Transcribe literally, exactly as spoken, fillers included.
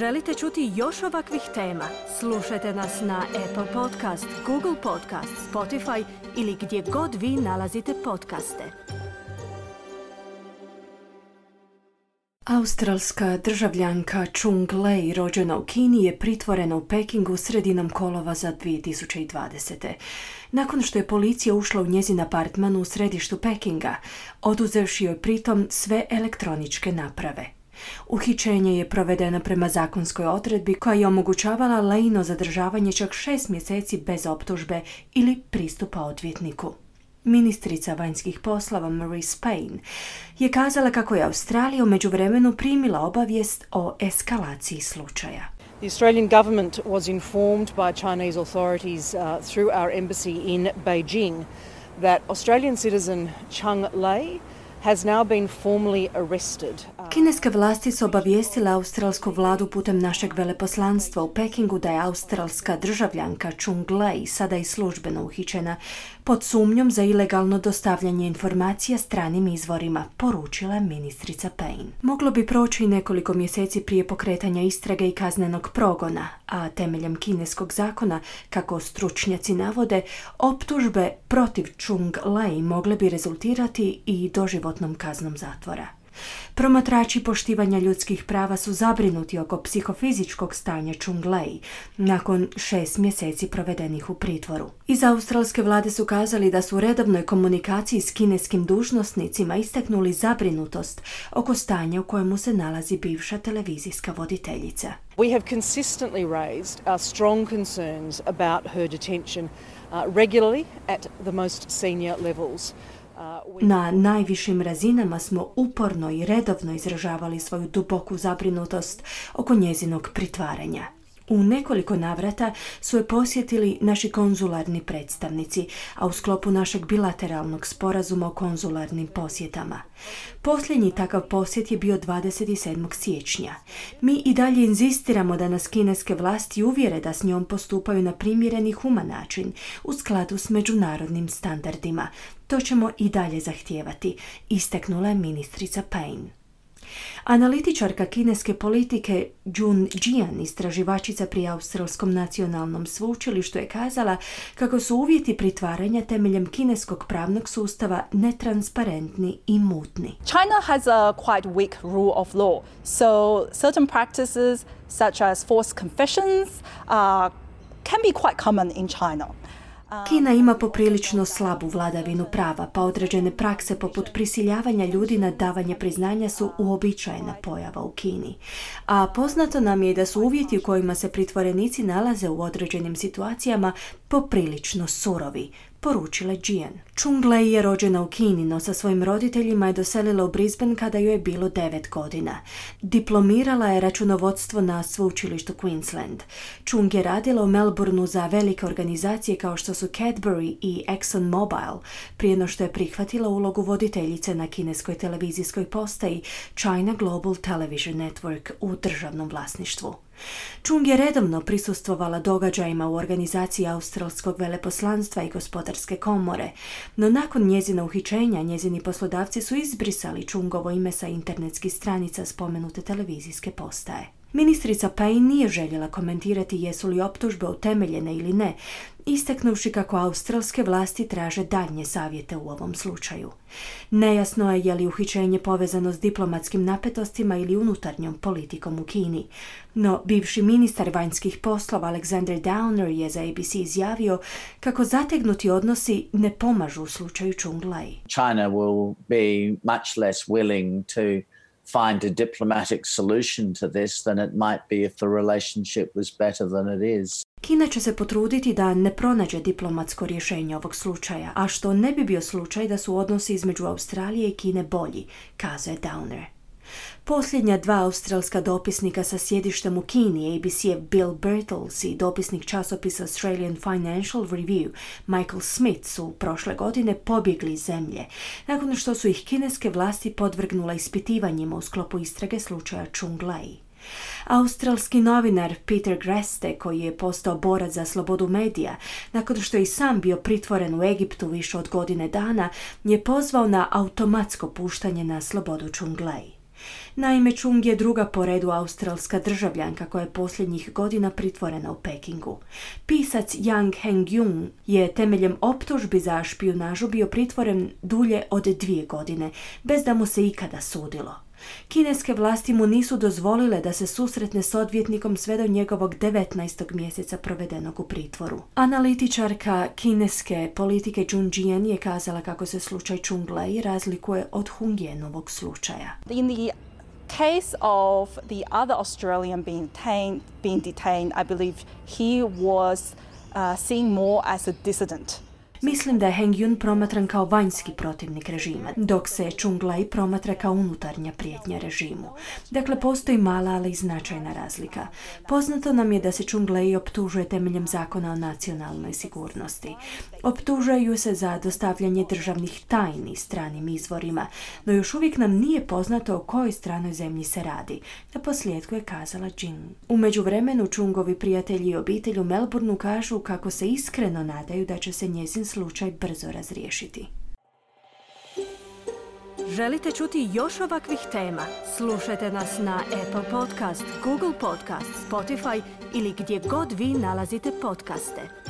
Želite čuti još ovakvih tema? Slušajte nas na Apple Podcast, Google Podcast, Spotify ili gdje god vi nalazite podcaste. Australska državljanka Chung Lei, rođena u Kini, je pritvorena u Pekingu sredinom kolovoza dvije tisuće dvadesete. Nakon što je policija ušla u njezin apartman u središtu Pekinga, oduzevši joj pritom sve elektroničke naprave. Uhićenje je provedeno prema zakonskoj odredbi koja je omogućavala Leino zadržavanje čak šest mjeseci bez optužbe ili pristupa odvjetniku. Ministrica vanjskih poslova Marise Payne je kazala kako je Australija u međuvremenu primila obavijest o eskalaciji slučaja. The Australian government was informed by Chinese authorities uh, through our embassy in Beijing that Australian citizen Chung Lei has now been formally arrested. Kineske vlasti su obavijestile australsku vladu putem našeg veleposlanstva u Pekingu da je australska državljanka Chung Lei sada i službeno uhićena pod sumnjom za ilegalno dostavljanje informacija stranim izvorima, poručila je ministrica Payne. Moglo bi proći nekoliko mjeseci prije pokretanja istrage i kaznenog progona, a temeljem kineskog zakona, kako stručnjaci navode, optužbe protiv Chung Lei mogle bi rezultirati i doživotnom kaznom zatvora. Promatrači poštivanja ljudskih prava su zabrinuti oko psihofizičkog stanja Chung Lei nakon šest mjeseci provedenih u pritvoru. Iz australske vlade su kazali da su u redovnoj komunikaciji s kineskim dužnosnicima istaknuli zabrinutost oko stanja u kojemu se nalazi bivša televizijska voditeljica. We have consistently raised our strong concerns about her detention uh, regularly at the most senior levels. Na najvišim razinama smo uporno i redovno izražavali svoju duboku zabrinutost oko njezinog pritvaranja. U nekoliko navrata su je posjetili naši konzularni predstavnici, a u sklopu našeg bilateralnog sporazuma o konzularnim posjetama. Posljednji takav posjet je bio dvadeset sedmog siječnja. Mi i dalje inzistiramo da nas kineske vlasti uvjere da s njom postupaju na primjeren i human način, u skladu s međunarodnim standardima. To ćemo i dalje zahtijevati, istaknula je ministrica Payne. Analitičarka kineske politike Jun Jian, istraživačica pri Australskom nacionalnom sveučilištu, je kazala kako su uvjeti pritvaranja temeljem kineskog pravnog sustava netransparentni i mutni. China has a quite weak rule of law, so certain practices such as forced confessions uh, can be quite common in China. Kina ima poprilično slabu vladavinu prava, pa određene prakse poput prisiljavanja ljudi na davanje priznanja su uobičajena pojava u Kini. A poznato nam je da su uvjeti u kojima se pritvorenici nalaze u određenim situacijama poprilično surovi, poručila Jian. Chung Lei je rođena u Kini, no sa svojim roditeljima je doselila u Brisbane kada joj je bilo devet godina. Diplomirala je računovodstvo na sveučilištu Queensland. Chung je radila u Melbourneu za velike organizacije kao što su Cadbury i Exxon Mobil, prije no što je prihvatila ulogu voditeljice na kineskoj televizijskoj postaji China Global Television Network u državnom vlasništvu. Chung je redovno prisustvovala događajima u organizaciji Australskog veleposlanstva i gospodarske komore, no nakon njezina uhićenja njezini poslodavci su izbrisali Chungovo ime sa internetskih stranica spomenute televizijske postaje. Ministrica Payne nije željela komentirati jesu li optužbe utemeljene ili ne, istaknuvši kako australske vlasti traže daljnje savjete u ovom slučaju. Nejasno je je li uhićenje povezano s diplomatskim napetostima ili unutarnjom politikom u Kini, no bivši ministar vanjskih poslova Alexander Downer je za A B C izjavio kako zategnuti odnosi ne pomažu u slučaju Chung Lei. China will be much less willing to find a diplomatic solution to this than it might be if the relationship was better than it is. Kina će se potruditi da ne pronađe diplomatsko rješenje ovog slučaja, a što ne bi bio slučaj da su odnosi između Australije i Kine bolji, kazuje Downer. Posljednja dva australska dopisnika sa sjedištem u Kini, A B C-ev Bill Birtles i dopisnik časopisa Australian Financial Review Michael Smith, su prošle godine pobjegli iz zemlje, nakon što su ih kineske vlasti podvrgnula ispitivanjima u sklopu istrage slučaja Chung Lei. Australski novinar Peter Greste, koji je postao borac za slobodu medija, nakon što je i sam bio pritvoren u Egiptu više od godine dana, je pozvao na automatsko puštanje na slobodu Chung Lei. Naime, Chung je druga po redu australska državljanka koja je posljednjih godina pritvorena u Pekingu. Pisac Yang Hengjun je temeljem optužbi za špijunažu bio pritvoren dulje od dvije godine, bez da mu se ikada sudilo. Kineske vlasti mu nisu dozvolile da se susretne s odvjetnikom sve do njegovog devetnaestog mjeseca provedenog u pritvoru. Analitičarka kineske politike Jun Jian je kazala kako se slučaj Chung Lei razlikuje od Hung Yenovog slučaja. In the case of the other Australian being detained, being detained, I believe he was uh, seen more as a dissident. Mislim da je Hengjun promatran kao vanjski protivnik režima, dok se Chung Lei promatra kao unutarnja prijetnja režimu. Dakle, postoji mala, ali i značajna razlika. Poznato nam je da se Chung Lei optužuje temeljem zakona o nacionalnoj sigurnosti. Optužuju se za dostavljanje državnih tajni stranim izvorima, no još uvijek nam nije poznato o kojoj stranoj zemlji se radi. Na posljedku je kazala Jin. U međuvremenu Chungovi prijatelji i obitelj u Melbourneu kažu kako se iskreno nadaju da će se njezin slučaj brzo razriješiti. Želite čuti još ovakvih tema? Slušajte nas na Apple Podcast, Google Podcast, Spotify ili gdje god vi nalazite podcaste.